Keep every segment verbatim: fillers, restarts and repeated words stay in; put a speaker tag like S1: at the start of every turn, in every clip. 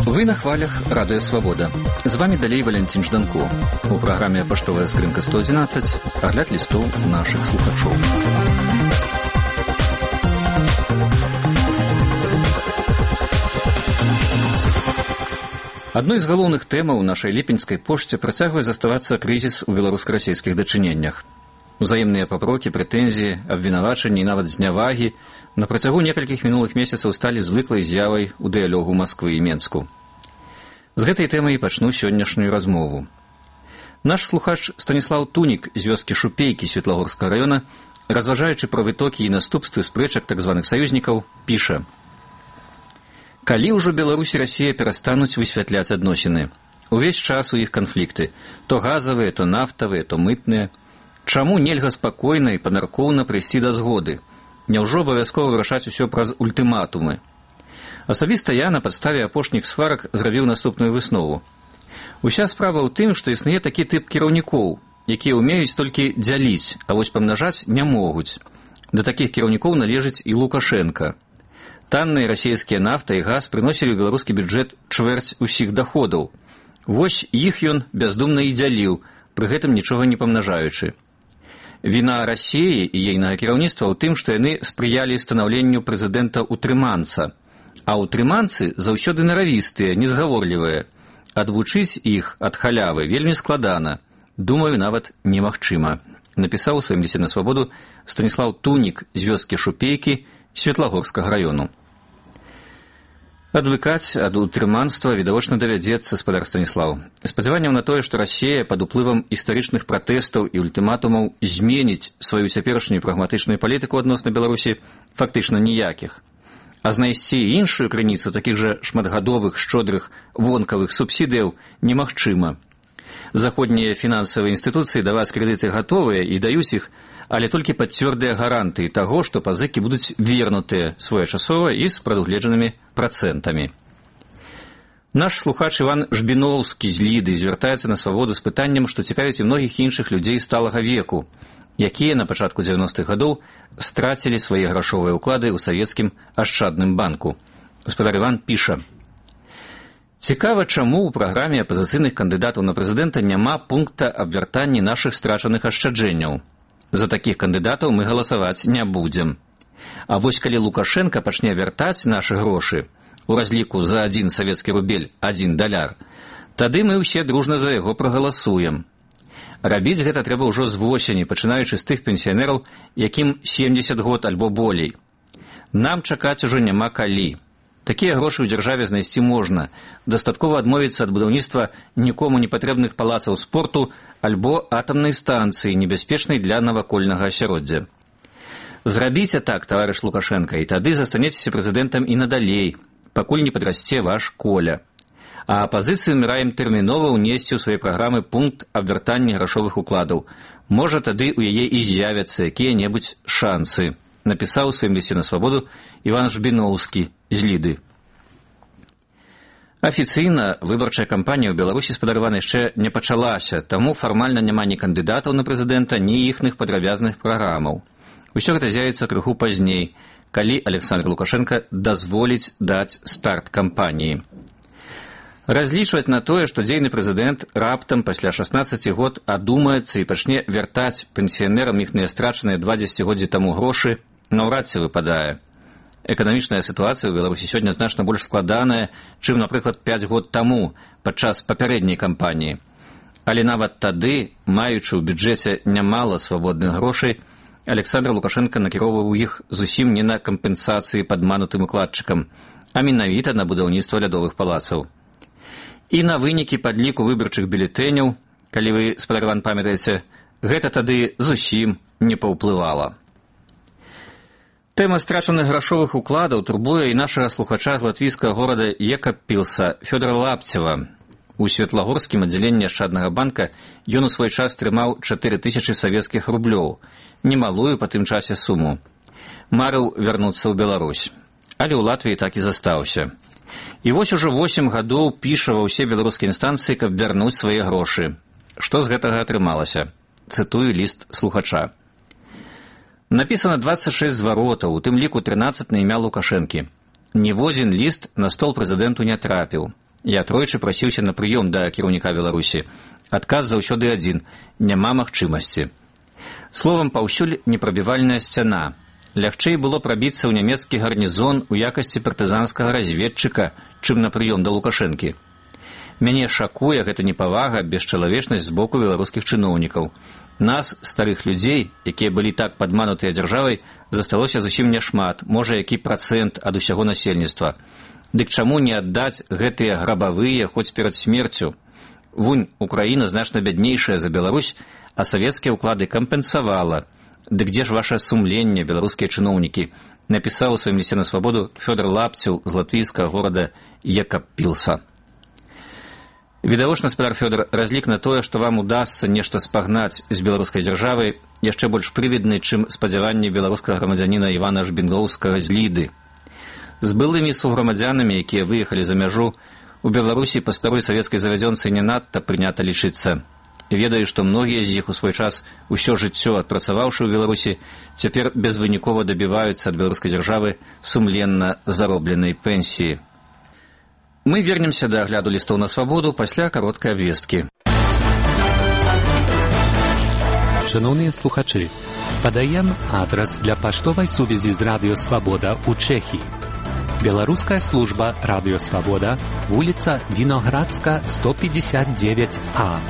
S1: Вы на хвалях Радио Свобода. З вами далей Валентин Жданко. У праграме «Паштовая скрынка сто одиннадцать» агляд лістоў нашых слухачоў. Адной з галоўных тэмаў нашай ліпеньскай пошце працягвае заставацца крызіс у беларуска-расійскіх дачыненнях. Узаемныя папрокі, прэтэнзіі, абвінавачанні і нават знявагі на працягу некалькіх мінулых месяцаў сталі звыклай з'явай у дыялогу Масквы і Менску. З гэтай тэмай і пачну сённяшнюю размову. Наш слухач Станіслаў Тунік з вёскі Шупейкі Светлагорскага раёна, разважаючы пра вытокі і наступствы спрэчак так званых саюзнікаў, піша: «Калі ўжо Беларусь і Расія перастануць высвятляць адносіны? Увесь час у іх канфлікты, то газавыя, то нафтавыя, то мытныя. Чаму нельга спакойна і памяркоўна прыйсці да згоды? Няўжо абавязкова вырашаць усё праз ультыматумы? Асабіста я на падставе апошніх сварак зрабіў наступную выснову. Уся справа ў тым, што існуе такі тып кіраўнікоў, якія ўмеюць толькі дзяліць, а вось памнажаць не могуць. Да такіх кіраўнікоў належыць і Лукашенка. Танныя расійскія нафта і газ прыносілі ў беларускі бюджэт чвэрць усіх даходаў. Вось іх ён бяздумна і дзяліў, пры гэтым нічога не памнажаючы. Віна Расіі і ейнага кіраўніцтва ў тым, што яны спрыялі станаўленню прэзідэнта-утрыманца. А утрыманцы заўсёды наравістыя, незгаворлівыя. Адвучыць іх ад халявы вельмі складана. Думаю, нават немагчыма. Напісаў у сваім лісце на свабоду Станіслаў Тунік з вёскі Шупейкі Светлагорскага раёну. Адвыкаць ад утрыманства відавочна давядзецца, спадар Станіслаў. Спадзяванняў на тое, што Расія пад уплывам гістарычных пратэстаў і ультыматумаў зменіць сваю цяперашнюю прагматычную палітыку адносна Беларусі, фактычна ніякіх. А знайсці іншую крыніцу такіх жа шматгадовых, шчодрых, вонкавых субсідыяў немагчыма. Заходнія фінансавыя інстытуцыі даваць крэдыты гатовыя і даюць іх, але толькі пад цвёрдыя гарантыі таго, што пазыкі будуць вернутыя своечасова і з прадугледжанымі працэнтамі. Наш слухач Іван Жбіноўскі з Ліды звяртаецца на свабоду з пытаннем, што цікавіць і многіх іншых людзей сталага веку, якія на пачатку дзевяностых гадоў страцілі свае грашовыя ўклады ў савецкім ашчадным банку. Гаспадар Іван піша: «Цікава, чаму ў праграме апазіцыйных кандыдатаў на прэзідэнта няма пункта аб вяртанні нашых страчаных ашчаджэнняў. За такіх кандыдатаў мы галасаваць не будзем. А вось калі Лукашенка пачне вяртаць нашы грошы у разліку за адзін савецкі рубель адзін даляр, тады мы ўсе дружна за яго прагаласуем. Рабіць гэта трэба ўжо з восені, пачынаючы з тых пенсіянераў, якім сямдзесят год альбо болей. Нам чакаць ужо няма калі. Такія грошы ў дзяржаве знайсці можна. Дастаткова адмовіцца ад будаўніцтва нікому не патрэбных палацаў спорту альбо атамнай станцыі, небяспечнай для навакольнага асяроддзя. Зрабіце так, таварыш Лукашенка, і тады застанецеся прэзідэнтам і надалей, пакуль не падрасце ваш Коля. А апазіцыю мы раім тэрмінова ўнесці ў свае праграмы пункт аб вяртанні грашовых укладаў. Можа, тады ў яе і з'явяцца якія-небудзь шансы», напісаў у сваім лісце на свабоду Іван Жбіноўскі з Ліды. Афіцыйна выбарчая кампанія ў Беларусі спадарвана яшчэ не пачалася, таму фармальна няма ні кандыдатаў на прэзідэнта, ні іхных падрабязных праграмаў. Усё гэта з'явіцца крыху пазней, калі Александр Лукашенка дазволіць даць старт кампаніі. Разлічваць на тое, што дзейны прэзідэнт раптам пасля шаснаццаці год адумаецца і пачне вяртаць пенсіянерам іхныя страчаныя два дзесяцігоддзі таму грошы, наўрад ці выпадае. Эканамічная сітуацыя ў Беларусі сёння значна больш складаная, чым, напрыклад, пяць год таму, падчас папярэдняй кампаніі. Але нават тады, маючы ў бюджэце нямала свабодных грошай, Александр Лукашенка накіроўваў іх зусім не на кампенсацыі падманутым укладчыкам, а менавіта на будаўніцтва лядовых палацаў. І на вынікі падліку выбарчых бюлетэняў, калі вы, спадар Іван, памятаеце, гэта тады зусім не паўплывала. Тэма страчаных грашовых укладаў турбуе і нашага слухача з латвійскага горада Екаппілса Фёдора Лапцева. У Светлагорскім аддзяленні ашчаднага банка ён у свой час трымаў чатыры тысячы савецкіх рублёў, немалую па тым часе суму. Марыў вярнуцца ў Беларусь, але ў Латвіі так і застаўся. І вось ужо восем гадоў піша ва ўсе беларускія інстанцыі, каб вярнуць свае грошы. Што з гэтага атрымалася? Цытую ліст слухача. Напісана двадцать шесть зваротаў, у тым ліку трынаццаць на імя Лукашэнкі. Ніводзін ліст на стол прэзідэнту не трапіў. Я тройчы прасіўся на прыём да кіраўніка Беларусі. Адказ заўсёды адзін – няма магчымасці. Словам, паўсюль непрабівальная сцяна. Лягчэй было прабіцца ў нямецкі гарнізон у якасці партызанскага разведчыка, чым на прыём да Лукашэнкі. Мяне шакуе гэта непавага, бесчалавечнасць з боку беларускіх чыноўнікаў. Нас, старых людзей, якія былі так падманутыя дзяржавай, засталося зусім няшмат, можа, які працэнт ад усяго насельніцтва. Дык чаму не аддаць гэтыя грабавыя хоць перад смерцю? Вунь, Украіна значна бяднейшая за Беларусь, а савецкія ўклады кампенсавала. Дык дзе ж ваше сумленне, беларускія чыноўнікі? Напісаў у сваім лісце на свабоду Фёдор Лапцеў з латвійскага горада Екаппілса. Відавочна, спадар Фёдор, разлік на тое, што вам удасца нешта спагнаць з беларускай дзяржавай, яшчэ больш прывідны, чым спадзяванні беларускага грамадзяніна Івана Жбінгоўскага з Ліды. З былымі суграмадзянамі, якія выехалі за мяжу, у Беларусі па старой савецкай завядзёнцы не надта прынята лічыцца. Ведаю, што многія з іх у свой час усё жыццё адпрацаваўшы ў Беларусі, цяпер безвынікова дабіваюцца ад беларускай дзяржавы сумленна заробленай пенсіі. Мы вернемся да агляду лістоў на свабоду пасля кароткай абвесткі.
S2: Шановні слухачі, падаем адрес для паштовай сувязі з Радыё Свабода ў Чэхіі. Беларуская служба Радыё Свабода, вуліца Віноградска, сто пятьдесят девять А,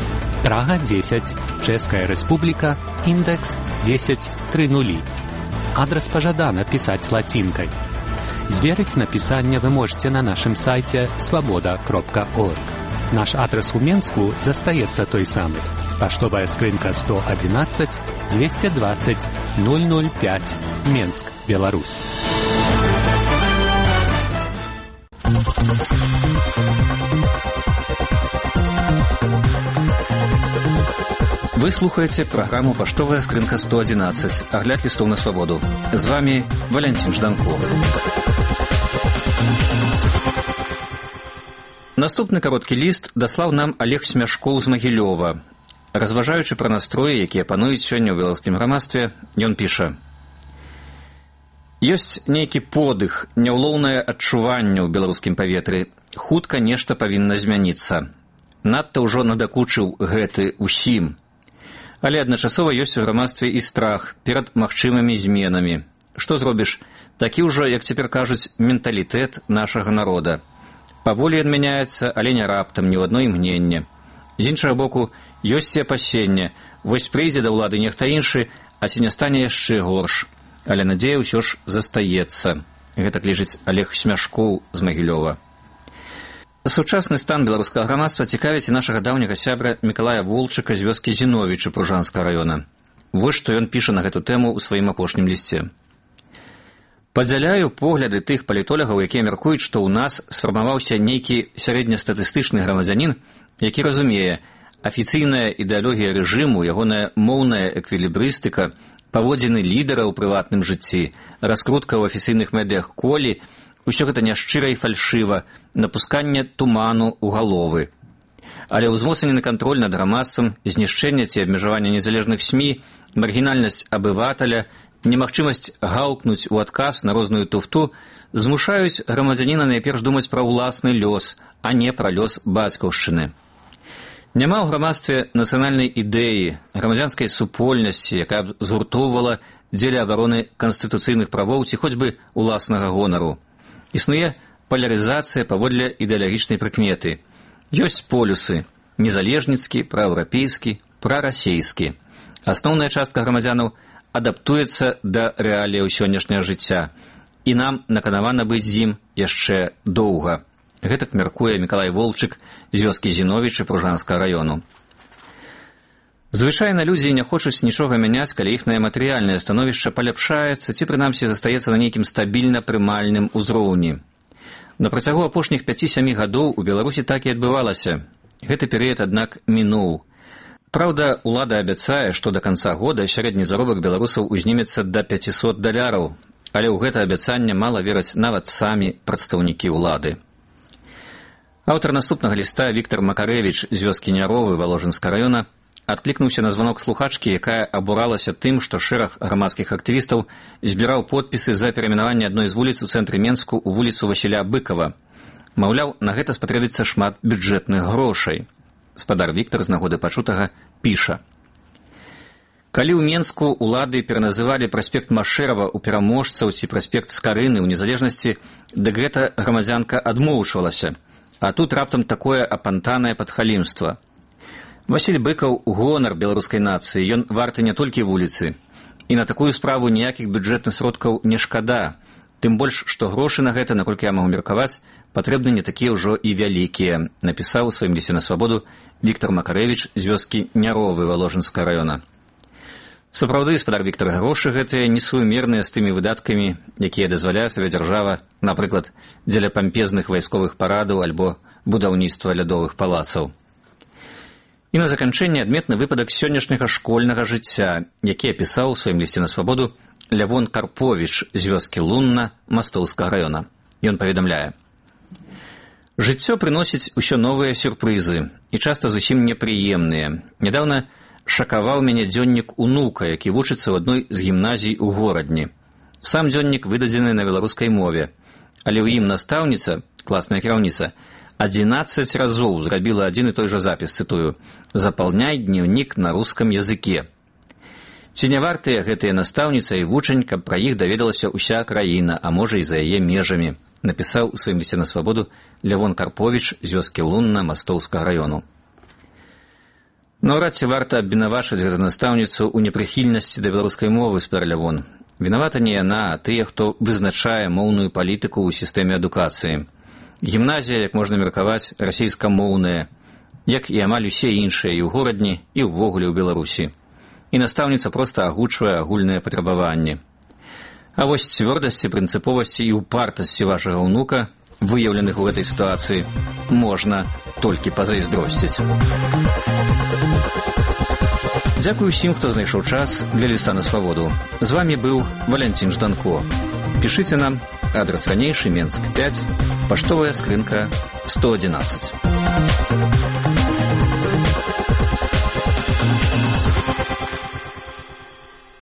S2: Прага десять, Чэшская Рэспубліка, індекс десять тридцать. Адрес пажадана пісаць лацінкай. Зверыць напісанне вы можете на нашым сайце свабода кропка орг. Наш адрес у Менску застаецца той самы. Паштовая скрынка сто одиннадцать двести двадцать ноль ноль пять, Менск, Беларусь.
S1: Вы слухаеце праграму «Паштовая скрынка сто одиннадцать», агляд лістоў на свабоду. З вами Валентин Жданков. Наступны кароткі ліст даслаў нам Олег Смяшкоў з Магілёва. Разважаючы пра настроі, якія пануюць сёння ў беларускім грамадстве, ён піша: «Ёсць нейкі подых, няўлоўнае адчуванне ў беларускім паветры. Хутка нешта павінна змяніцца. Надта ўжо надакучыў гэты ўсім. Але адначасова ёсць у грамадстве і страх перад магчымымі зменамі. Што зробіш? Такі ўжо, як цяпер кажуць, менталітэт нашага народа. Паволі ён мяняецца, але не раптам, ні ў адно імгненне. З іншага боку, ёсць і апасенне. Вось прыйдзе да ўлады нехта іншы, а ці не стане яшчэ горш. Але надзея ўсё ж застаецца». Гэтак лічыць Олег Смяшкоў з Магілёва. Сучасны стан беларускага грамадства цікавіць і нашага даўняга сябра Мікалая Волчыка з вёскі Зіновічы Пружанскага раёна. Вось што ён піша на гэту тэму ў сваім апошнім лісце. «Падзяляю погляды тых палітолагаў, якія мяркуюць, што ў нас сфармаваўся нейкі сярэднестатыстычны грамадзянін, які разумее, афіцыйная ідэалогія рэжыму, ягоная моўная эквілібрыстыка, паводзіны лідара ў прыватным жыцці, раскрутка ў афіцыйных медыях колі, усё гэта няшчыра і фальшыва, напусканне туману ў галовы. Але ўзмоцнены кантроль над грамадствам, знішчэнне ці абмежаванне незалежных СМІ, маргінальнасць абываталя, немагчымасць гаўкнуць у адказ на розную туфту змушаюць грамадзяніна найперш думаць пра ўласны лёс, а не пра лёс бацькаўшчыны. Няма ў грамадстве нацыянальнай ідэі, грамадзянскай супольнасці, якая б згуртоўвала дзеля абароны канстытуцыйных правоў ці хоць бы уласнага гонару. Існуе палярызацыя паводле ідэалагічнай прыкметы. Ёсць полюсы – незалежніцкі, праеўрапейскі, прарасейскі. Асноўная частка грамадзянаў адаптуецца да рэаліяў сённяшняга жыцця, і нам наканавана быць з ім яшчэ доўга. Гэтак мяркуе Мікалай Волчык з вёскі Зіновічы Пружанскага раёну. Звычайна людзі не хочуць нічога мяняць, калі іхнае матэрыяльнае становішча паляпшаецца ці прынамсі застаецца на нейкім стабільна прымальным узроўні. На працягу апошніх пяці-сямі гадоў у Беларусі так і адбывалася. Гэты перыяд, аднак, мінуў. Праўда, улада абяцае, што да канца года сярэдні заробак беларусаў узнімецца да пяцісот даляраў, але ў гэта абяцанне мала вераць нават самі прадстаўнікі ўлады. Аўтар наступнага ліста Віктар Макарэвіч з вёскі Няровы Валожынскага раёна адклікнуўся на званок слухачкі, якая абуралася тым, што шэраг грамадскіх актывістаў збіраў подпісы за перайменаванне адной з вуліц у цэнтры Менску ў вуліцу Васіля Быкова. Маўляў, на гэта спатрэбіцца шмат бюджэтных грошай. Спадар Віктар з нагоды пачутага піша. Калі ў Менску ўлады пераназывалі праспект Машэрава ў пераможцаў ці праспект Скарыны ў незалежнасці, дык гэта грамадзянка адмоўчвалася. А тут раптам такое апантанае падхалімства. Васіль Быкаў – гонар беларускай нацыі, ён варты не толькі вуліцы. І на такую справу ніякіх бюджэтных сродкаў не шкада. Тым больш, што грошы на гэта, наколькі я магу меркаваць, патрэбны не такія ўжо і вялікія, напісаў у сваім лісце на свабоду Віктар Макарэвіч з вёскі Няровы Валожынскага раёна. Сапраўды, спадар Віктар, грошы гэтыя несуімерныя з тымі выдаткамі, якія дазваляе сабе дзяржава, напрыклад, дзеля пампезных вайсковых парадаў альбо будаўніцтва лядовых палацаў. І на заканчэнне адметны выпадак сённяшняга школьнага жыцця, які апісаў у сваім лісце на свабоду Лявон Карповіч з вёскі Лунна Мастоўскага раёна. Ён паведамляе. Жыццё прыносіць усё новыя сюрпрызы, і часта зусім непрыемныя. Нядаўна шакаваў мяне дзённік унука, які вучыцца ў адной з гімназій у горадні. Сам дзённік выдадзены на беларускай мове, але ў ім настаўніца, класная кіраўніца, адзінаццаць разоў зрабіла адзін і той жа запіс, цытую, «Запаўняй дневник на рускам языке». Ці не вартыя гэтыя настаўніца і вучань, каб пра іх даведалася ўся краіна, а можа і за яе межамі, напісаў у сваім лісце на свабоду Лявон Карповіч з вёскі Лунна Мастоўскага раёну. Наўрад ці варта абвінавачваць гэту настаўніцу ў непрыхільнасці да беларускай мовы, спадар Лявон. Вінавата не яна, а тыя, хто вызначае моўную палітыку ў сістэме адукацыі. Гімназія, як можна меркаваць, расійскамоўная, як і амаль усе іншыя і ў горадні, і ўвогуле ў Беларусі. І настаўніца проста агучвае агульныя патрабаванні. А вось цвёрдасці, прынцыповасці і упартасці вашага ўнука, выяўленых у гэтай сітуацыі, можна толькі пазайздросціць. Дзякую усім, хто знайшоў час для ліста на свабоду. З вамі быў Валянцін Жданко. Пішыце нам, адрес ранейшы, Менск пяць, паштовая скрынка сто адзінаццаць.